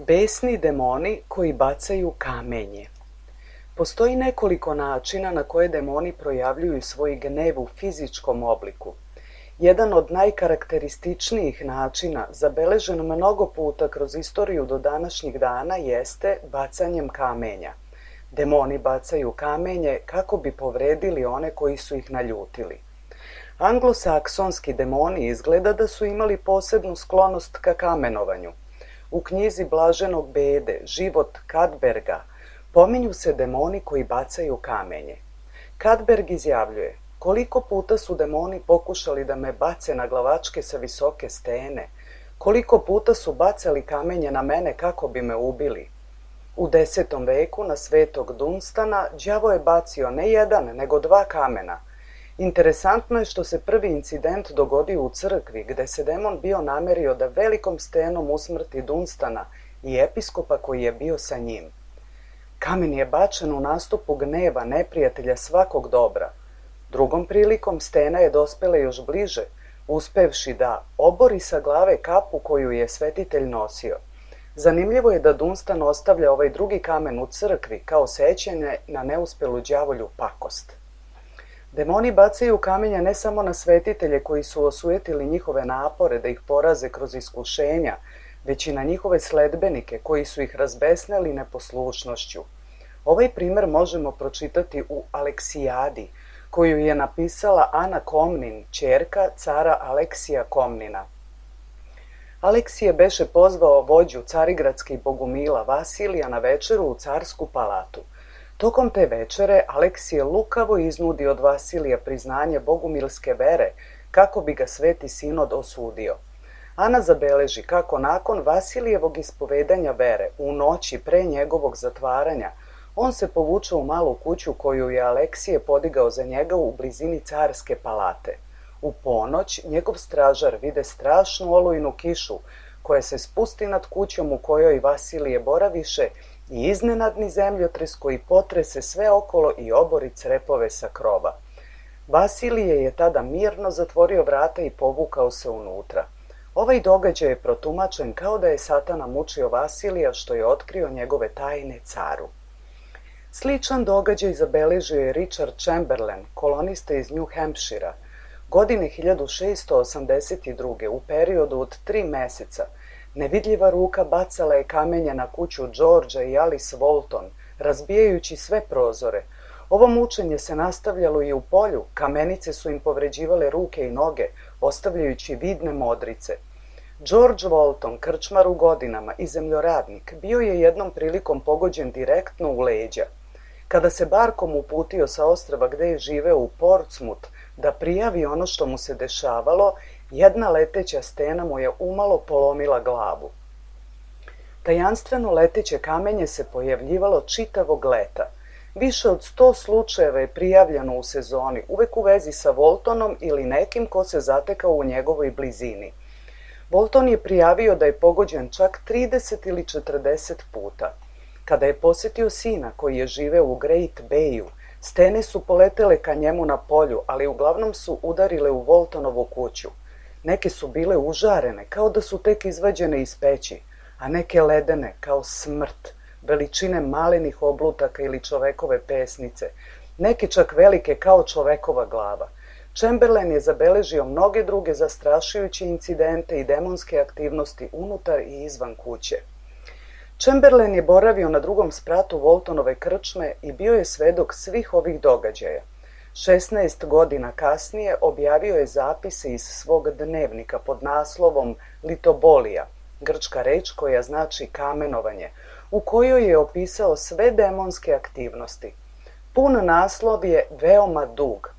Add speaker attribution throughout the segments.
Speaker 1: Besni demoni koji bacaju kamenje. Postoji nekoliko načina na koje demoni projavljuju svoj gnev u fizičkom obliku. Jedan od najkarakterističnijih načina, zabeležen mnogo puta kroz istoriju do današnjih dana, jeste bacanjem kamenja. Demoni bacaju kamenje kako bi povredili one koji su ih naljutili. Anglosaksonski demoni izgleda da su imali posebnu sklonost ka kamenovanju. U knjizi Blaženog Bede, Život Kadberga, pominju se demoni koji bacaju kamenje. Kadberg izjavljuje: koliko puta su demoni pokušali da me bace na glavačke sa visoke stene, koliko puta su bacali kamenje na mene kako bi me ubili. U 10. veku na Svetog Dunstana đavo je bacio ne jedan, nego 2 kamena. Interesantno je što se prvi incident dogodio u crkvi, gde se demon bio namerio da velikom stenom usmrti Dunstana i episkopa koji je bio sa njim. Kamen je bačen u nastupu gneva neprijatelja svakog dobra. Drugom prilikom stena je dospela još bliže, uspevši da obori sa glave kapu koju je svetitelj nosio. Zanimljivo je da Dunstan ostavlja ovaj drugi kamen u crkvi kao sećanje na neuspelu đavolju pakost. Demoni bacaju kamenje ne samo na svetitelje koji su osujetili njihove napore da ih poraze kroz iskušenja, već i na njihove sledbenike koji su ih razbesneli neposlušnošću. Ovaj primer možemo pročitati u Aleksijadi, koju je napisala Ana Komnin, ćerka cara Aleksija Komnina. Aleksije beše pozvao vođu carigradskih bogumila Vasilija na večeru u carsku palatu. Tokom te večere Aleksije lukavo iznudi od Vasilija priznanje bogumilske vere kako bi ga Sveti Sinod osudio. Ana zabeleži kako nakon Vasilijevog ispovedanja vere u noći pre njegovog zatvaranja on se povuče u malu kuću koju je Aleksije podigao za njega u blizini carske palate. U ponoć njegov stražar vide strašnu olujnu kišu koja se spusti nad kućom u kojoj Vasilije boraviše i iznenadni zemljotres koji potrese sve okolo i obori crepove sa krova. Vasilije je tada mirno zatvorio vrata i povukao se unutra. Ovaj događaj je protumačen kao da je Satana mučio Vasilija što je otkrio njegove tajne caru. Sličan događaj zabeležio je Richard Chamberlain, kolonista iz New Hampshira. Godine 1682. u periodu od 3 meseca nevidljiva ruka bacala je kamenje na kuću Georgea i Alice Walton, razbijajući sve prozore. Ovo mučenje se nastavljalo i u polju, kamenice su im povređivale ruke i noge, ostavljajući vidne modrice. George Walton, krčmar u godinama i zemljoradnik, bio je jednom prilikom pogođen direktno u leđa. Kada se barkom uputio sa ostrva gde je živeo u Portsmouth da prijavi ono što mu se dešavalo, jedna leteća stena mu je umalo polomila glavu. Tajanstveno leteće kamenje se pojavljivalo čitavog leta. Više od 100 slučajeva je prijavljeno u sezoni, uvek u vezi sa Waltonom ili nekim ko se zatekao u njegovoj blizini. Walton je prijavio da je pogođen čak 30 ili 40 puta. Kada je posetio sina koji je živeo u Great Bayu, stene su poletele ka njemu na polju, ali uglavnom su udarile u Waltonovu kuću. Neke su bile užarene, kao da su tek izvađene iz peći, a neke ledene, kao smrt, veličine malenih oblutaka ili čovekove pesnice, neke čak velike kao čovekova glava. Chamberlain je zabeležio mnoge druge zastrašujuće incidente i demonske aktivnosti unutar i izvan kuće. Chamberlain je boravio na drugom spratu Waltonove krčme i bio je svedok svih ovih događaja. 16 godina kasnije objavio je zapise iz svog dnevnika pod naslovom Litobolija, grčka reč koja znači kamenovanje, u kojoj je opisao sve demonske aktivnosti. Pun naslov je veoma dug.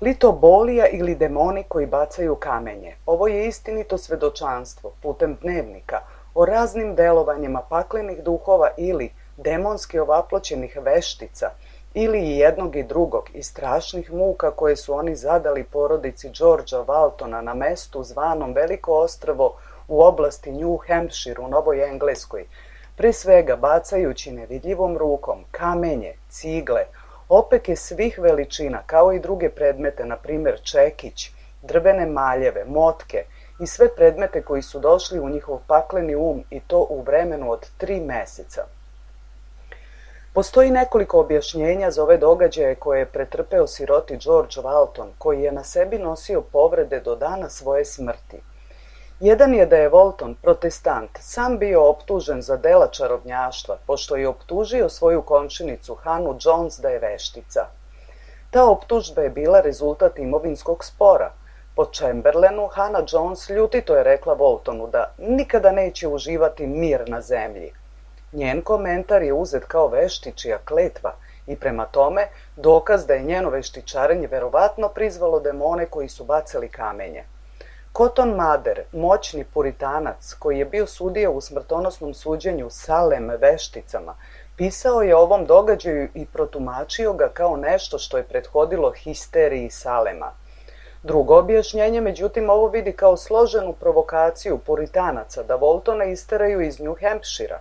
Speaker 1: Litobolija ili demoni koji bacaju kamenje. Ovo je istinito svedočanstvo putem dnevnika o raznim delovanjima paklenih duhova ili demonski ovaploćenih veštica ili i jednog i drugog i strašnih muka koje su oni zadali porodici Georgea Waltona na mestu zvanom Veliko ostrvo u oblasti New Hampshire u Novoj Engleskoj, pre svega bacajući nevidljivom rukom kamenje, cigle, opeke svih veličina kao i druge predmete, na primjer čekić, drvene maljeve, motke i sve predmete koji su došli u njihov pakleni i to u vremenu od 3 meseca. Postoji nekoliko objašnjenja za ove događaje koje je pretrpeo siroti George Walton, koji je na sebi nosio povrede do dana svoje smrti. Jedan je da je Walton, protestant, sam bio optužen za dela čarobnjaštva, pošto je optužio svoju komšinicu Hannah Jones da je veštica. Ta optužba je bila rezultat imovinskog spora. Po Chamberlainu, Hannah Jones ljutito je rekla Waltonu da nikada neće uživati mir na zemlji. Njen komentar je uzet kao veštičija kletva i prema tome dokaz da je njeno veštičarenje verovatno prizvalo demone koji su bacali kamenje. Cotton Mather, moćni puritanac koji je bio sudija u smrtonosnom suđenju Salem vešticama, pisao je o ovom događaju i protumačio ga kao nešto što je prethodilo histeriji Salema. Drugo objašnjenje, međutim, ovo vidi kao složenu provokaciju puritanaca da Waltona isteraju iz New Hampshira.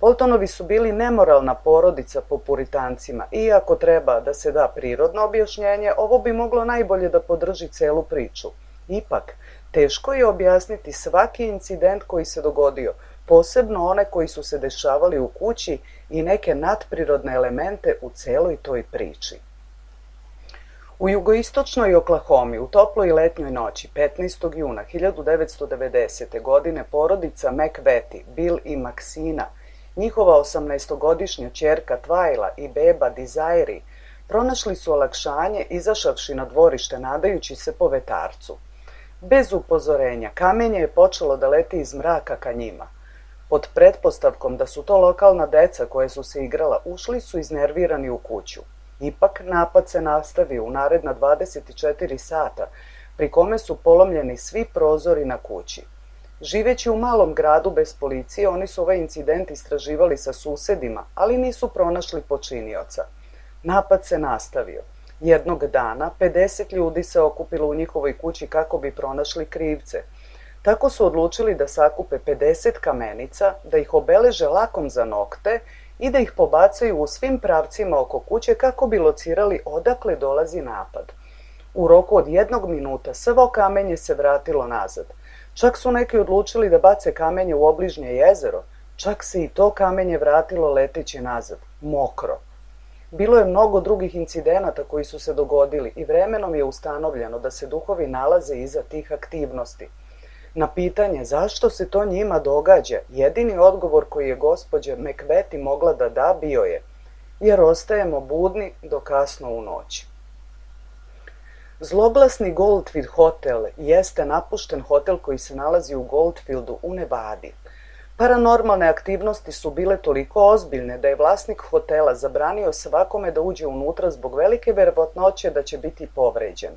Speaker 1: Waltonovi su bili nemoralna porodica po puritancima i ako treba da se da prirodno objašnjenje, ovo bi moglo najbolje da podrži celu priču. Ipak, teško je objasniti svaki incident koji se dogodio, posebno one koji su se dešavali u kući i neke nadprirodne elemente u celoj toj priči. U jugoistočnoj Oklahomi u toploj letnjoj noći 15. juna 1990. godine porodica McVety, Bill i Maxina, njihova 18-godišnja ćerka Twyla i beba Desiree, pronašli su olakšanje izašavši na dvorište nadajući se po vetarcu. Bez upozorenja, kamenje je počelo da leti iz mraka ka njima. Pod pretpostavkom da su to lokalna deca koje su se igrala, ušli su iznervirani u kuću. Ipak, napad se nastavio u naredna 24 sata, pri kome su polomljeni svi prozori na kući. Živeći u malom gradu bez policije, oni su ovaj incident istraživali sa susedima, ali nisu pronašli počinioca. Napad se nastavio. Jednog dana 50 ljudi se okupilo u njihovoj kući kako bi pronašli krivce. Tako su odlučili da sakupe 50 kamenica, da ih obeleže lakom za nokte i da ih pobacaju u svim pravcima oko kuće kako bi locirali odakle dolazi napad. U roku od 1 minuta svo kamenje se vratilo nazad. Čak su neki odlučili da bace kamenje u obližnje jezero, čak se i to kamenje vratilo leteći nazad, mokro. Bilo je mnogo drugih incidenata koji su se dogodili i vremenom je ustanovljeno da se duhovi nalaze iza tih aktivnosti. Na pitanje zašto se to njima događa, jedini odgovor koji je gospođa McVety mogla da da bio je: jer ostajemo budni do kasno u noć. Zloglasni Goldfield hotel jeste napušten hotel koji se nalazi u Goldfieldu u Nevadi. Paranormalne aktivnosti su bile toliko ozbiljne da je vlasnik hotela zabranio svakome da uđe unutra zbog velike verovatnoće da će biti povređen.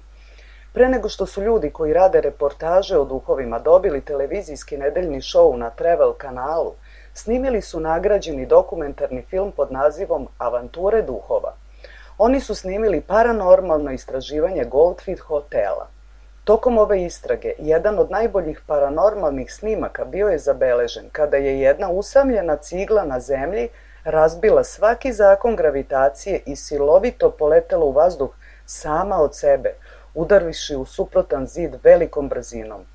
Speaker 1: Pre nego što su ljudi koji rade reportaže o duhovima dobili televizijski nedeljni šou na Travel kanalu, snimili su nagrađeni dokumentarni film pod nazivom Avanture duhova. Oni su snimili paranormalno istraživanje Goldfield hotela. Tokom ove istrage, jedan od najboljih paranormalnih snimaka bio je zabeležen kada je jedna usamljena cigla na zemlji razbila svaki zakon gravitacije i silovito poletela u vazduh sama od sebe, udarivši u suprotan zid velikom brzinom.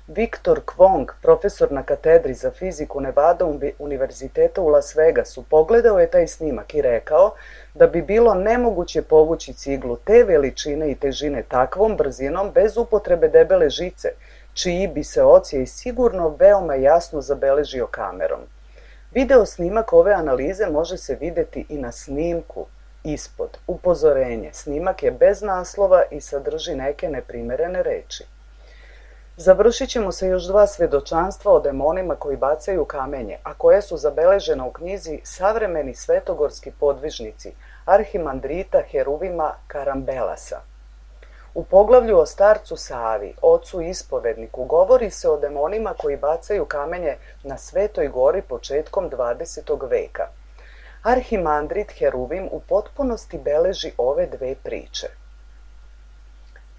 Speaker 1: Viktor Kwong, profesor na katedri za fiziku Nevada univerziteta u Las Vegasu, pogledao je taj snimak i rekao da bi bilo nemoguće povući ciglu te veličine i težine takvom brzinom bez upotrebe debele žice, čiji bi se ocijej sigurno veoma jasno zabeležio kamerom. Video snimak ove analize može se videti i na snimku ispod. Upozorenje: snimak je bez naslova i sadrži neke neprimerene reči. Završit ćemo sa još 2 svedočanstva o demonima koji bacaju kamenje, a koje su zabeležena u knjizi Savremeni svetogorski podvižnici arhimandrita Heruvima Karambelasa. U poglavlju o starcu Savi, ocu ispovedniku, govori se o demonima koji bacaju kamenje na Svetoj gori početkom 20. veka. Arhimandrit Heruvim u potpunosti beleži ove 2 priče.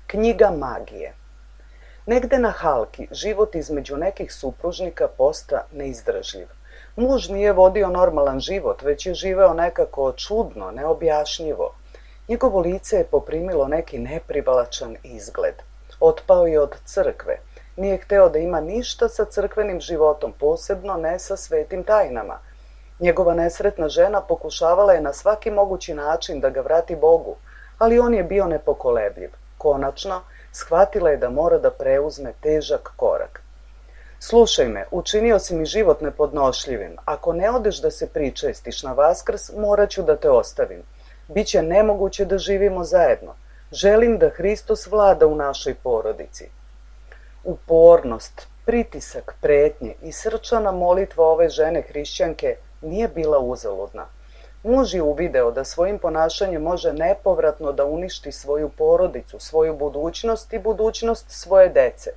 Speaker 1: Knjiga magije. Negde na Halki život između nekih supružnika posta neizdržljiv. Muž nije vodio normalan život, već je živeo nekako čudno, neobjašnjivo. Njegovo lice je poprimilo neki neprivlačan izgled. Otpao je od crkve. nije hteo da ima ništa sa crkvenim životom, posebno ne sa svetim tajnama. Njegova nesretna žena pokušavala je na svaki mogući način da ga vrati Bogu, ali on je bio nepokolebljiv. Konačno, shvatila je da mora da preuzme težak korak. Slušaj me, učinio si mi život nepodnošljivim. Ako ne odeš da se pričestiš na Vaskrs, morat ću da te ostavim. Biće nemoguće da živimo zajedno. Želim da Hristos vlada u našoj porodici. Upornost, pritisak, pretnje i srčana molitva ove žene hrišćanke nije bila uzaludna. Muž je uvideo da svojim ponašanjem može nepovratno da uništi svoju porodicu, svoju budućnost i budućnost svoje dece.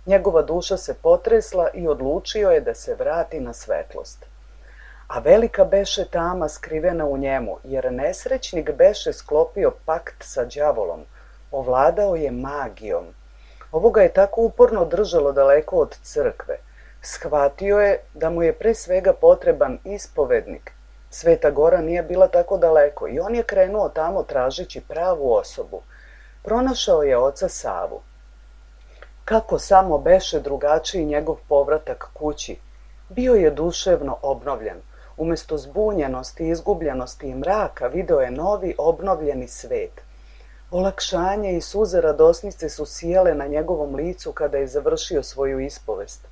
Speaker 1: Njegova duša se potresla i odlučio je da se vrati na svetlost. A velika beše tama skrivena u njemu, jer nesrećnik beše sklopio pakt sa đavolom, ovladao je magijom. Ovo ga je tako uporno držalo daleko od crkve. Shvatio je da mu je pre svega potreban ispovednik. Sveta Gora nije bila tako daleko i on je krenuo tamo tražeći pravu osobu. Pronašao je oca Savu. Kako samo beše drugačiji njegov povratak kući. Bio je duševno obnovljen. Umesto zbunjenosti, izgubljenosti i mraka video je novi obnovljeni svet. Olakšanje i suze radosnice su sijale na njegovom licu kada je završio svoju ispovest.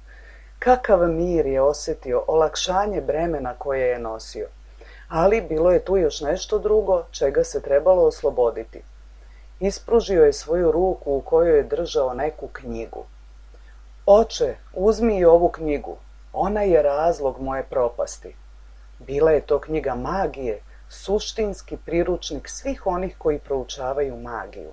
Speaker 1: Kakav mir je osjetio, olakšanje bremena koje je nosio. Ali bilo je tu još nešto drugo čega se trebalo osloboditi. Ispružio je svoju ruku u kojoj je držao neku knjigu. Oče, uzmi i ovu knjigu. Ona je razlog moje propasti. Bila je to knjiga magije, suštinski priručnik svih onih koji proučavaju magiju.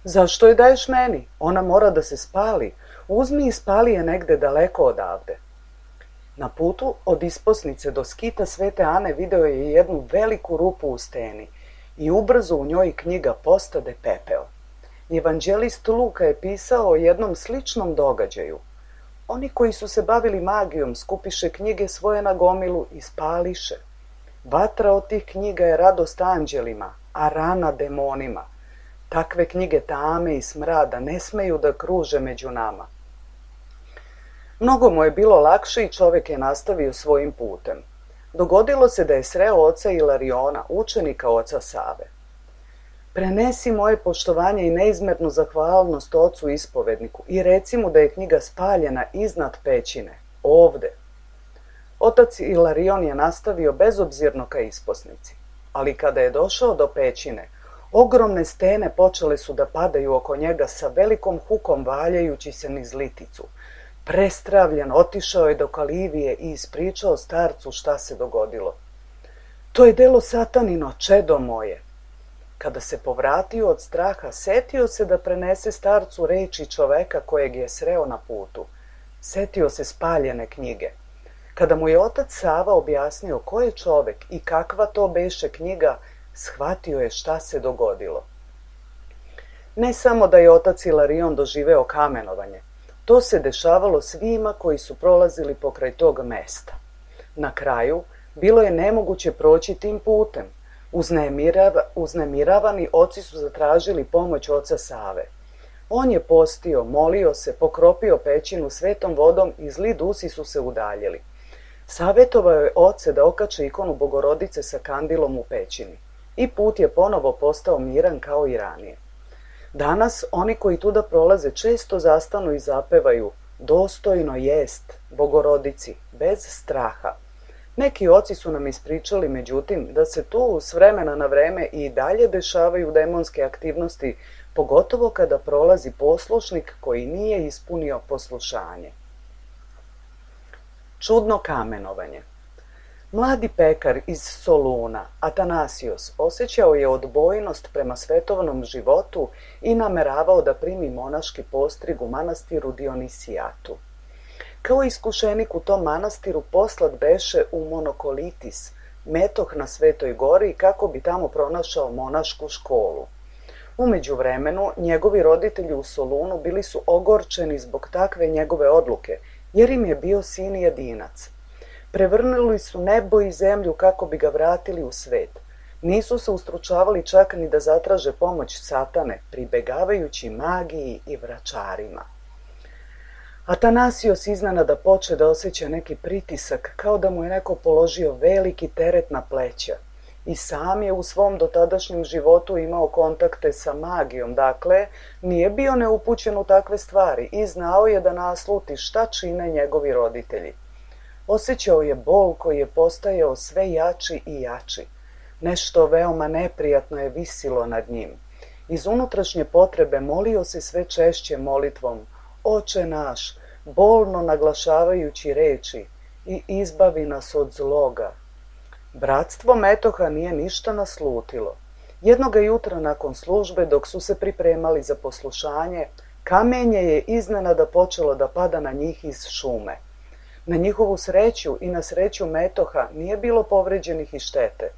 Speaker 1: Zašto je daješ meni? Ona mora da se spali. Uzmi i spali je negde daleko odavde. Na putu od isposnice do skita Svete Ane video je jednu veliku rupu u steni i ubrzo u njoj knjiga postade pepeo. Evanđelist Luka je pisao o jednom sličnom događaju. Oni koji su se bavili magijom skupiše knjige svoje na gomilu i spališe. Vatra od tih knjiga je radost anđelima, a rana demonima. Takve knjige tame i smrada ne smeju da kruže među nama. Mnogo mu je bilo lakše i čovjek je nastavio svojim putem. Dogodilo se da je sreo oca Ilariona, učenika oca Save. Prenesi moje poštovanje i neizmernu zahvalnost ocu ispovedniku i reci mu da je knjiga spaljena iznad pećine, ovde. Otac Ilarion je nastavio bezobzirno ka isposnici, ali kada je došao do pećine, ogromne stene počele su da padaju oko njega sa velikom hukom valjajući se niz liticu. Prestravljen, otišao je do Kalivije i ispričao starcu šta se dogodilo. To je delo satanino, čedo moje. Kada se povratio od straha, setio se da prenese starcu reči čoveka kojeg je sreo na putu. Setio se spaljene knjige. Kada mu je otac Sava objasnio ko je čovek i kakva to beše knjiga, shvatio je šta se dogodilo. Ne samo da je otac Ilarion doživeo kamenovanje, to se dešavalo svima koji su prolazili pokraj tog mesta. Na kraju, bilo je nemoguće proći tim putem. Uznemiravani oci su zatražili pomoć oca Save. On je postio, molio se, pokropio pećinu svetom vodom i zli dusi su se udaljili. Savetovao je oce da okače ikonu Bogorodice sa kandilom u pećini. I put je ponovo postao miran kao i ranije. Danas oni koji tuda prolaze često zastanu i zapevaju dostojno jest Bogorodici, bez straha. Neki oci su nam ispričali, međutim, da se tu s vremena na vreme i dalje dešavaju demonske aktivnosti, pogotovo kada prolazi poslušnik koji nije ispunio poslušanje. Čudno kamenovanje. Mladi pekar iz Soluna, Atanasios, osjećao je odbojnost prema svetovnom životu i nameravao da primi monaški postrig u manastiru Dionisijatu. Kao iskušenik u tom manastiru poslat beše u Monokolitis, metoh na Svetoj gori, kako bi tamo pronašao monašku školu. U međuvremenu, njegovi roditelji u Solunu bili su ogorčeni zbog takve njegove odluke, jer im je bio sin jedinac. Prevrnuli su nebo i zemlju kako bi ga vratili u svet. Nisu se ustručavali čak ni da zatraže pomoć satane, pribegavajući magiji i vračarima. Atanasios iznenada poče da osjeća neki pritisak, kao da mu je neko položio veliki teret na pleća. I sam je u svom dotadašnjem životu imao kontakte sa magijom, dakle, nije bio neupućen u takve stvari i znao je da nasluti šta čine njegovi roditelji. Osjećao je bol koji je postajao sve jači i jači. Nešto veoma neprijatno je visilo nad njim. Iz unutrašnje potrebe molio se sve češće molitvom: Oče naš, bolno naglašavajući reči, i izbavi nas od zloga. Bratstvo Metoha nije ništa naslutilo. Jednoga jutra nakon službe, dok su se pripremali za poslušanje, kamenje je iznenada počelo da pada na njih iz šume. Na njihovu sreću i na sreću Metoha nije bilo povređenih i štete.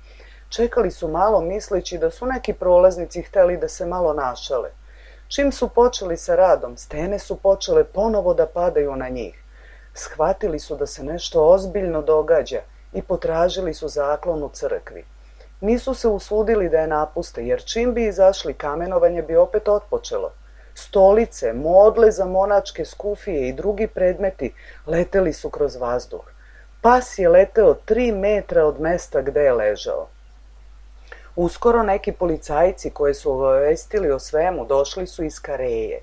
Speaker 1: Čekali su malo misleći da su neki prolaznici hteli da se malo našale. Čim su počeli sa radom, stene su počele ponovo da padaju na njih. Shvatili su da se nešto ozbiljno događa i potražili su zaklon u crkvi. Nisu se usudili da je napuste, jer čim bi izašli, kamenovanje bi opet otpočelo. Stolice, modle za monačke skufije i drugi predmeti leteli su kroz vazduh. Pas je leteo 3 metra od mesta gde je ležao. Uskoro neki policajci koje su obavestili o svemu došli su iz Kareje.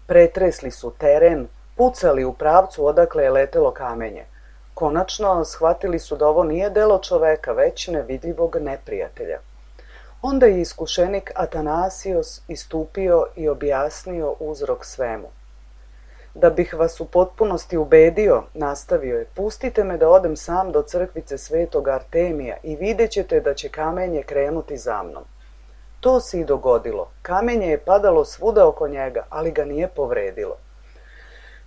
Speaker 1: Pretresli su teren, pucali u pravcu odakle je letelo kamenje. Konačno shvatili su da ovo nije delo čoveka, već nevidljivog neprijatelja. Onda je iskušenik Atanasios istupio i objasnio uzrok svemu. Da bih vas u potpunosti ubedio, nastavio je, pustite me da odem sam do crkvice Svetog Artemija i vidjet ćete da će kamenje krenuti za mnom. To se i dogodilo. Kamenje je padalo svuda oko njega, ali ga nije povredilo.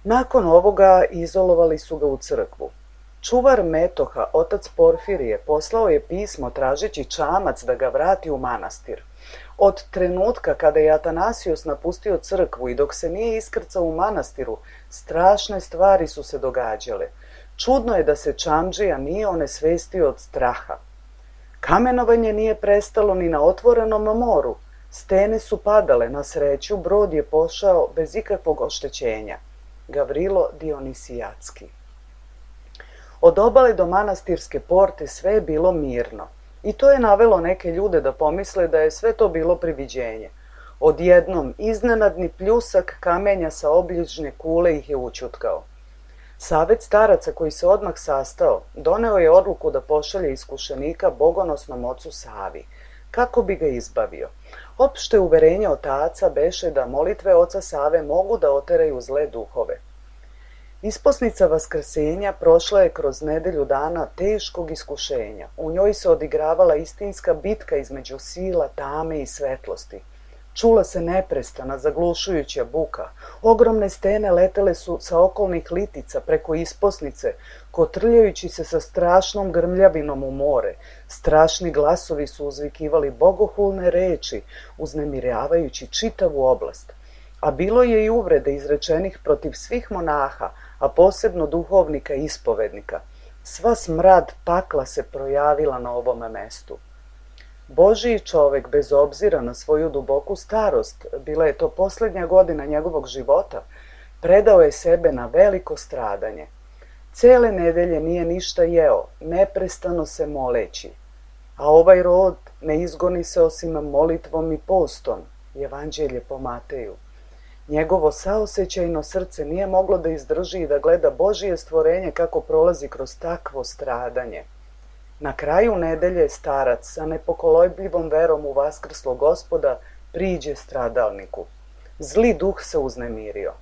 Speaker 1: Nakon ovoga izolovali su ga u crkvu. Čuvar Metoha, otac Porfirije, poslao je pismo tražeći čamac da ga vrati u manastir. Od trenutka kada je Atanasios napustio crkvu i dok se nije iskrcao u manastiru, strašne stvari su se događale. Čudno je da se čamdžija nije onesvestio od straha. Kamenovanje nije prestalo ni na otvorenom moru. Stene su padale, na sreću brod je pošao bez ikakvog oštećenja. Gavrilo Dionisijatski. Od obale do manastirske porte sve je bilo mirno. I to je navelo neke ljude da pomisle da je sve to bilo priviđenje. Odjednom, iznenadni pljusak kamenja sa obližnje kule ih je učutkao. Savet staraca koji se odmah sastao, doneo je odluku da pošalje iskušenika bogonosnom ocu Savi, kako bi ga izbavio. Opšte uverenje otaca beše da molitve oca Save mogu da oteraju zle duhove. Isposnica Vaskrsenja prošla je kroz nedelju dana teškog iskušenja. U njoj se odigravala istinska bitka između sila, tame i svetlosti. Čula se neprestana, zaglušujuća buka. Ogromne stene letele su sa okolnih litica preko isposnice, kotrljajući se sa strašnom grmljavinom u more. Strašni glasovi su uzvikivali bogohulne reči, uznemiravajući čitavu oblast. A bilo je i uvrede izrečenih protiv svih monaha, a posebno duhovnika i ispovednika. Sva smrad pakla se projavila na ovome mestu. Božiji čovek, bez obzira na svoju duboku starost, bila je to posljednja godina njegovog života, predao je sebe na veliko stradanje. Cele nedelje nije ništa jeo, neprestano se moleći. A ovaj rod ne izgoni se osim molitvom i postom, Evanđelje po Mateju. Njegovo saosećajno srce nije moglo da izdrži i da gleda Božije stvorenje kako prolazi kroz takvo stradanje. Na kraju nedelje starac sa nepokolebljivom verom u vaskrslog Gospoda priđe stradalniku. Zli duh se uznemirio.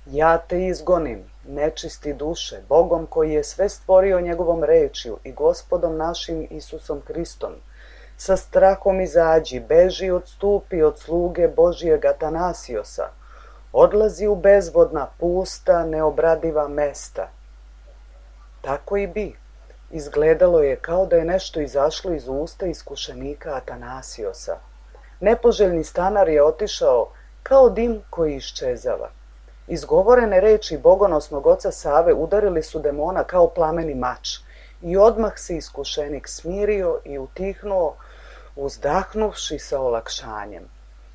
Speaker 1: Ja te izgonim, nečisti duše, Bogom koji je sve stvorio njegovom rečju i Gospodom našim Isusom Hristom. Sa strahom izađi, beži, odstupi od sluge Božijeg Atanasiosa. Odlazi u bezvodna, pusta, neobradiva mesta. Tako i bi. Izgledalo je kao da je nešto izašlo iz usta iskušenika Atanasiosa. Nepoželjni stanar je otišao kao dim koji iščezava. Izgovorene reči bogonosnog oca Save udarili su demona kao plameni mač i odmah se iskušenik smirio i utihnuo, uzdahnuvši sa olakšanjem.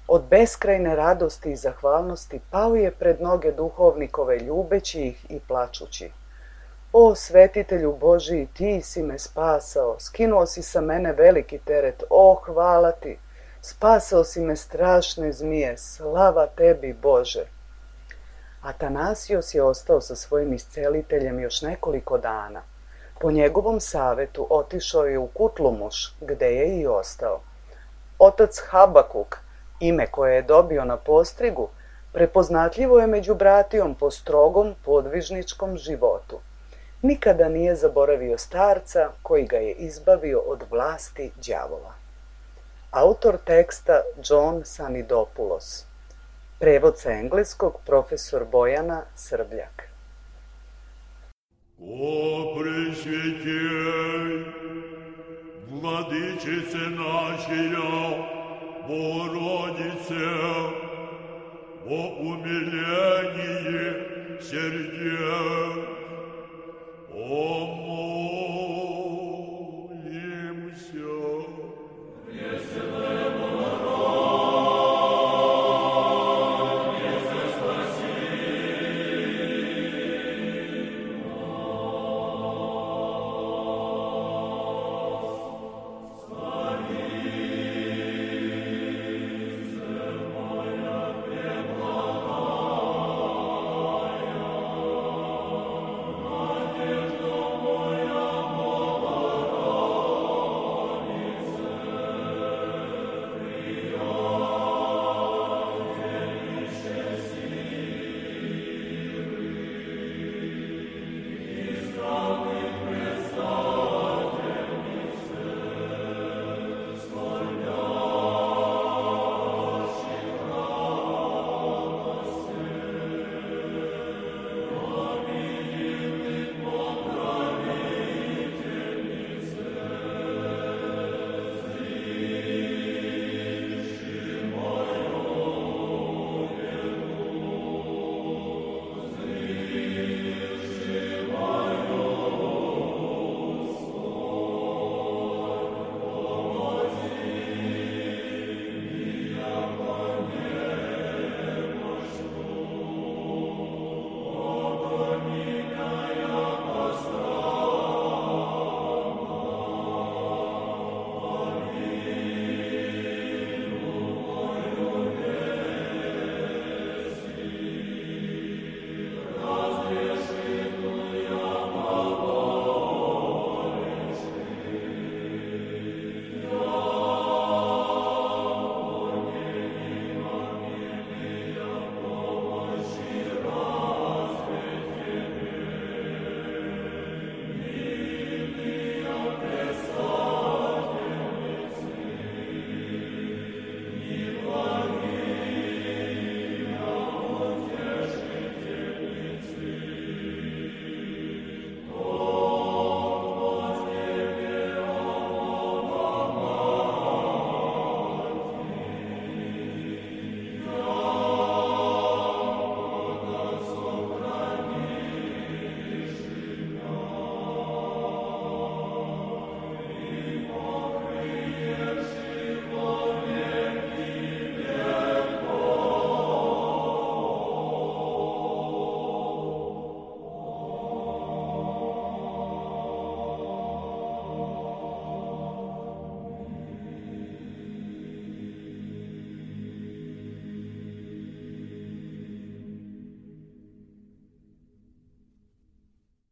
Speaker 1: Od beskrajne radosti i zahvalnosti pao je pred noge duhovnikove, ljubeći ih i plačući. O, svetitelju Božiji, ti si me spasao, skinuo si sa mene veliki teret, o, hvala ti, spasao si me strašne zmije, slava tebi, Bože. Atanasijos je ostao sa svojim isceliteljem još nekoliko dana. Po njegovom savetu otišao je u Kutlumuš, gde je i ostao. Otac Habakuk, ime koje je dobio na postrigu, prepoznatljivo je među bratijom po strogom podvižničkom životu. Nikada nije zaboravio starca koji ga je izbavio od vlasti đavola. Autor teksta John Sanidopoulos. Prevod sa engleskog profesor Bojana Srbljak.
Speaker 2: O Presvetej, Vladičice našija, Bogorodice, o umiljenije srдечное